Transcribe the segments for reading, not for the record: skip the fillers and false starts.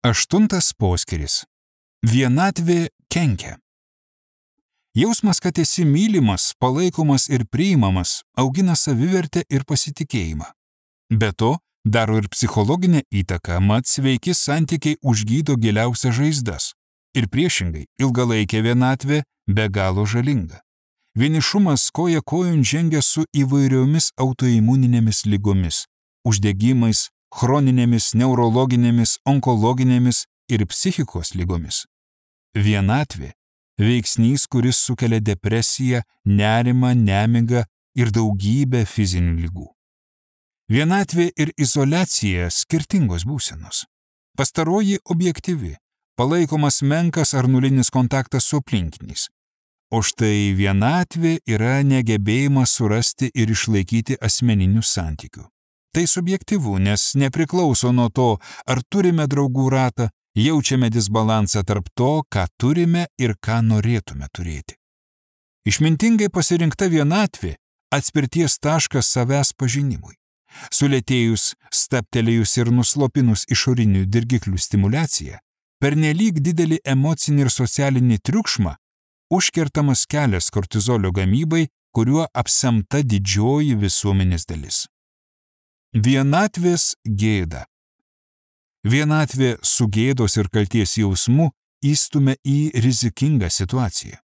8 poskyris. Vienatvė kenkia. Jausmas, kad esi mylimas, palaikomas ir priimamas, augina savivertę ir pasitikėjimą. Be to, daro ir psichologinę įtaką, mat sveiki santykiai užgydo giliausias žaizdas. Ir priešingai, ilgalaikė vienatvė be galo žalinga. Vienišumas koja kojon žengia su įvairiomis autoimuninėmis ligomis, uždegimais, chroninėmis, neurologinėmis, onkologinėmis ir psichikos ligomis. Vienatvė – veiksnys, kuris sukelia depresiją, nerimą, nemigą ir daugybę fizinių ligų. Vienatvė ir izoliacija – skirtingos būsenos. Pastaroji objektyvi, palaikomas menkas ar nulinis kontaktas su aplinkiniais. O štai vienatvė yra negebėjimas surasti ir išlaikyti asmeninių santykių. Tai subjektyvu, nes nepriklauso nuo to, ar turime draugų ratą, jaučiame disbalansą tarp to, ką turime ir ką norėtume turėti. Išmintingai pasirinkta vienatvė – atspirties taškas savęs pažinimui. Sulėtėjus, stabtelėjus ir nuslopinus išorinių dirgiklių stimuliaciją, pernelyg didelį emocinį ir socialinį triukšmą, užkertamas kelias kortizolio gamybai, kuriuo apsemta didžioji visuomenės dalis. Vienatvės gėda. Vienatvė su gėdos ir kalties jausmu įstumia į rizikingą situaciją.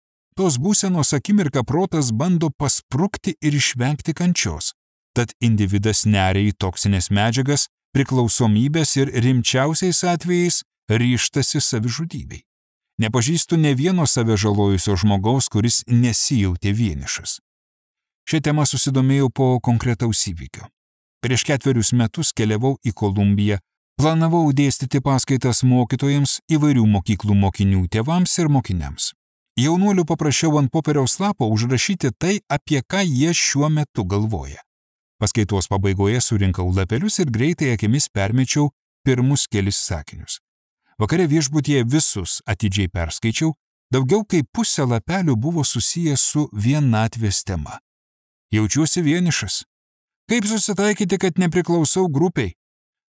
Tos būsenos akimirką protas bando pasprukti ir išvengti kančios, tad individas neria į toksinės medžiagas, priklausomybės ir rimčiausiais atvejais ryžtasi savižudybei. Nepažįstu ne vieno save žalojusio žmogaus, kuris nesijautė vienišas. Šią temą susidomėjau po konkretaus įvykio. Prieš 4 metus keliavau į Kolumbiją, planavau dėstyti paskaitas mokytojams, įvairių mokyklų mokinių tėvams ir mokiniams. Jaunuolių paprašiau ant popieriaus lapo užrašyti tai, apie ką jie šiuo metu galvoja. Paskaitos pabaigoje surinkau lapelius ir greitai akimis permečiau pirmus kelis sakinius. Vakare viešbutyje visus atidžiai perskaičiau, daugiau kaip pusė lapelių buvo susijęs su vienatvės tema. Jaučiuosi vienišas. Kaip susitaikyti, kad nepriklausau grupiai?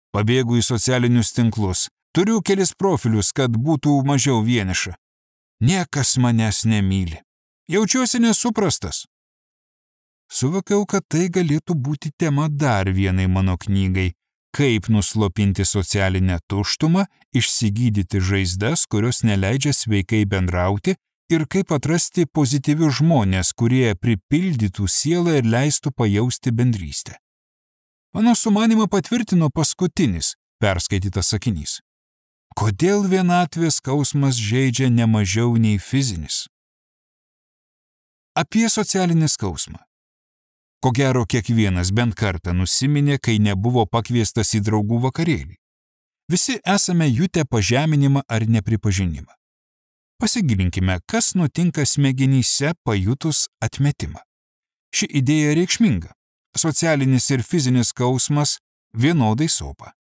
Pabėgu į socialinius tinklus. Turiu kelis profilius, kad būtų mažiau vieniša. Niekas manęs nemyli. Jaučiuosi nesuprastas. Suvokiau, kad tai galėtų būti tema dar vienai mano knygai. Kaip nuslopinti socialinę tuštumą, išsigydyti žaizdas, kurios neleidžia sveikai bendrauti, ir kaip atrasti pozityvius žmonės, kurie pripildytų sielą ir leistų pajausti bendrystę. Mano sumanymą patvirtino paskutinis perskaitytas sakinys. Kodėl vienatvės skausmas žeidžia ne mažiau nei fizinis? Apie socialinį skausmą. Ko gero, kiekvienas bent kartą nusiminė, kai nebuvo pakviestas į draugų vakarėlį. Visi esame jutę pažeminimą ar nepripažinimą. Pasigilinkime, kas nutinka smegenyse pajutus atmetimą. Ši idėja reikšminga. Socialinis ir fizinis skausmas vienodai sopa.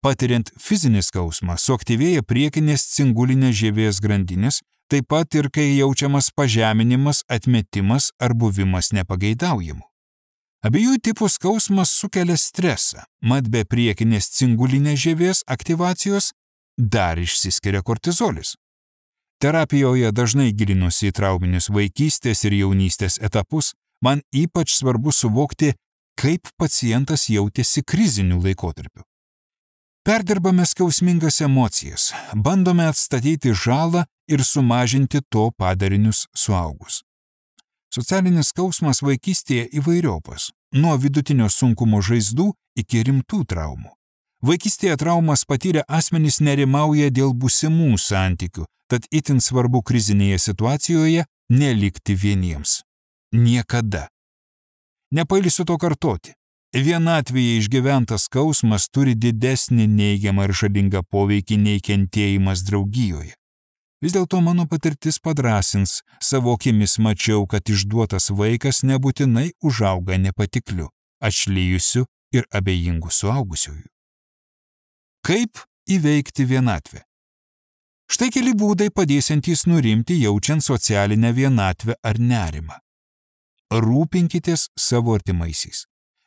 Patiriant fizinį skausmą, suaktyvėja priekinės cingulinės žievės grandinės, taip pat ir kai jaučiamas pažeminimas, atmetimas ar buvimas nepageidaujamu. Abiejų tipų skausmas sukelia stresą, mat be priekinės cingulinės žievės aktyvacijos dar išsiskiria kortizolis. Terapijoje dažnai gilinuosi į trauminius vaikystės ir jaunystės etapus, man ypač svarbu suvokti, kaip pacientas jautėsi kriziniu laikotarpiu. Perdirbame skausmingas emocijas, bandome atstatyti žalą ir sumažinti to padarinius suaugus. Socialinis skausmas vaikystėje įvairiopas, nuo vidutinio sunkumo žaizdų iki rimtų traumų. Vaikystėje traumas patyrę asmenys nerimauja dėl būsimų santykių, tad itin svarbu krizinėje situacijoje nelikti vieniems. Niekada. Nepailsiu to kartoti. Vienatvėje išgyventas skausmas turi didesnį neigiamą ir žalingą poveikį nei kentėjimas draugijoje. Vis dėlto mano patirtis padrąsins, savo akimis mačiau, kad išduotas vaikas nebūtinai užauga nepatikliu, atšlijusiu ir abejingu suaugusiųjų. Kaip įveikti vienatvę? Štai keli būdai padėsiantys nurimti jaučiant socialinę vienatvę ar nerimą. Rūpinkitės savo artimaisiais.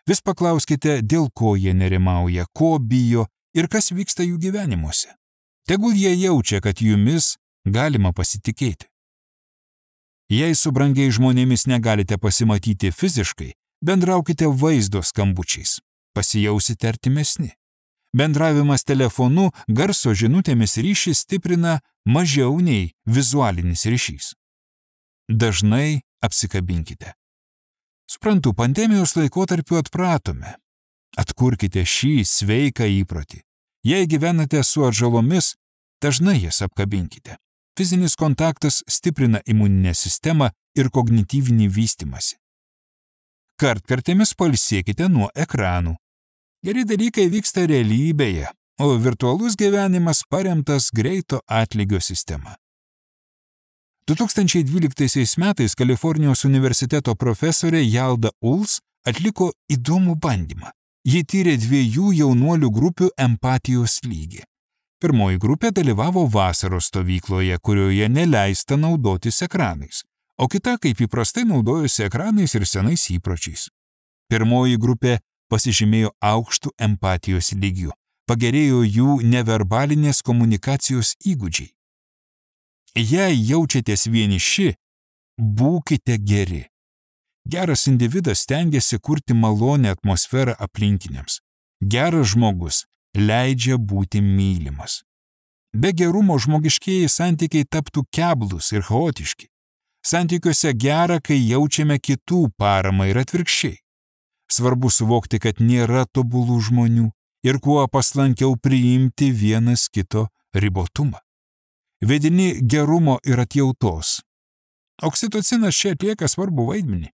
Vis paklauskite, dėl ko jie nerimauja, ko bijo ir kas vyksta jų gyvenimuose. Tegul jie jaučia, kad jumis galima pasitikėti. Jei su brangiais žmonėmis negalite pasimatyti fiziškai, bendraukite vaizdo skambučiais, pasijausite artimesni. Bendravimas telefonu garso žinutėmis ryšį stiprina mažiau nei vizualinis ryšys. Dažnai apsikabinkite. Suprantu, pandemijos laikotarpiu atpratome. Atkurkite šį sveiką įprotį. Jei gyvenate su atžalomis, dažnai jas apkabinkite. Fizinis kontaktas stiprina imuninę sistemą ir kognityvinį vystymąsi. Kartkartėmis pailsėkite nuo ekranų. Geri dalykai vyksta realybėje, o virtualus gyvenimas paremtas greito atlygio sistema. 2012 metais Kalifornijos universiteto profesorė Yalda Uls atliko įdomų bandymą. Ji tyrė 2 jaunuolių grupių empatijos lygį. Pirmoji grupė dalyvavo vasaros stovykloje, kurioje neleista naudotis ekranais, o kita kaip įprastai naudojosi ekranais ir senais įpročiais. Pirmoji grupė pasižymėjo aukštų empatijos lygių, pagerėjo jų neverbalinės komunikacijos įgūdžiai. Jei jaučiatės vieniši, būkite geri. Geras individas stengiasi kurti malonę atmosferą aplinkiniams. Geras žmogus leidžia būti mylimas. Be gerumo žmogiškieji santykiai taptų keblūs ir chaotiški. Santykiuose gera, kai jaučiame kitų paramą ir atvirkščiai. Svarbu suvokti, kad nėra tobulų žmonių ir kuo paslankiau priimti vienas kito ribotumą. Vedini gerumo ir atjautos. Oksitocinas čia atlieka svarbų vaidmenį.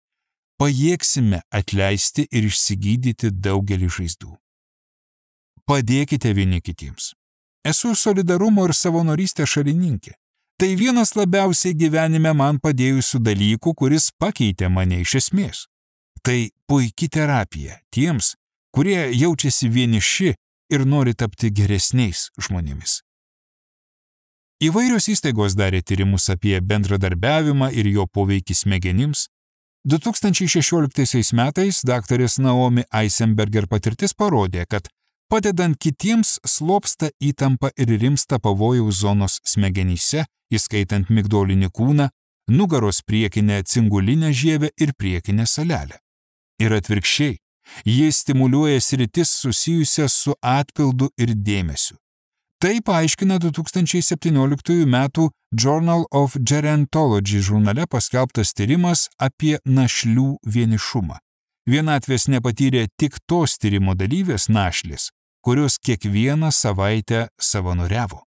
Pajėgsime atleisti ir išsigydyti daugelį žaizdų. Padėkite vieni kitiems. Esu solidarumo ir savanorystės šalininkė. Tai vienas labiausiai gyvenime man padėjusių dalykų, kuris pakeitė mane iš esmės. Tai puiki terapija tiems, kurie jaučiasi vieniši ir nori tapti geresniais žmonėmis. Įvairios įstaigos darė tyrimus apie bendradarbiavimą ir jo poveikį smegenims. 2016 metais daktarės Naomi Eisenberger patirtis parodė, kad padedant kitiems slopsta įtampa ir rimsta pavojaus zonos smegenyse, įskaitant migdolinį kūną, nugaros priekinę cingulinę žievę ir priekinę salelę. Ir atvirkščiai, jis stimuliuoja sritis susijusias su atpildu ir dėmesiu. Tai paaiškina 2017 metų Journal of Gerontology žurnale paskelbtas tyrimas apie našlių vienišumą. Vienatvės nepatyrė tik tos tyrimo dalyvės našlės, kurios kiekvieną savaitę savanoriavo.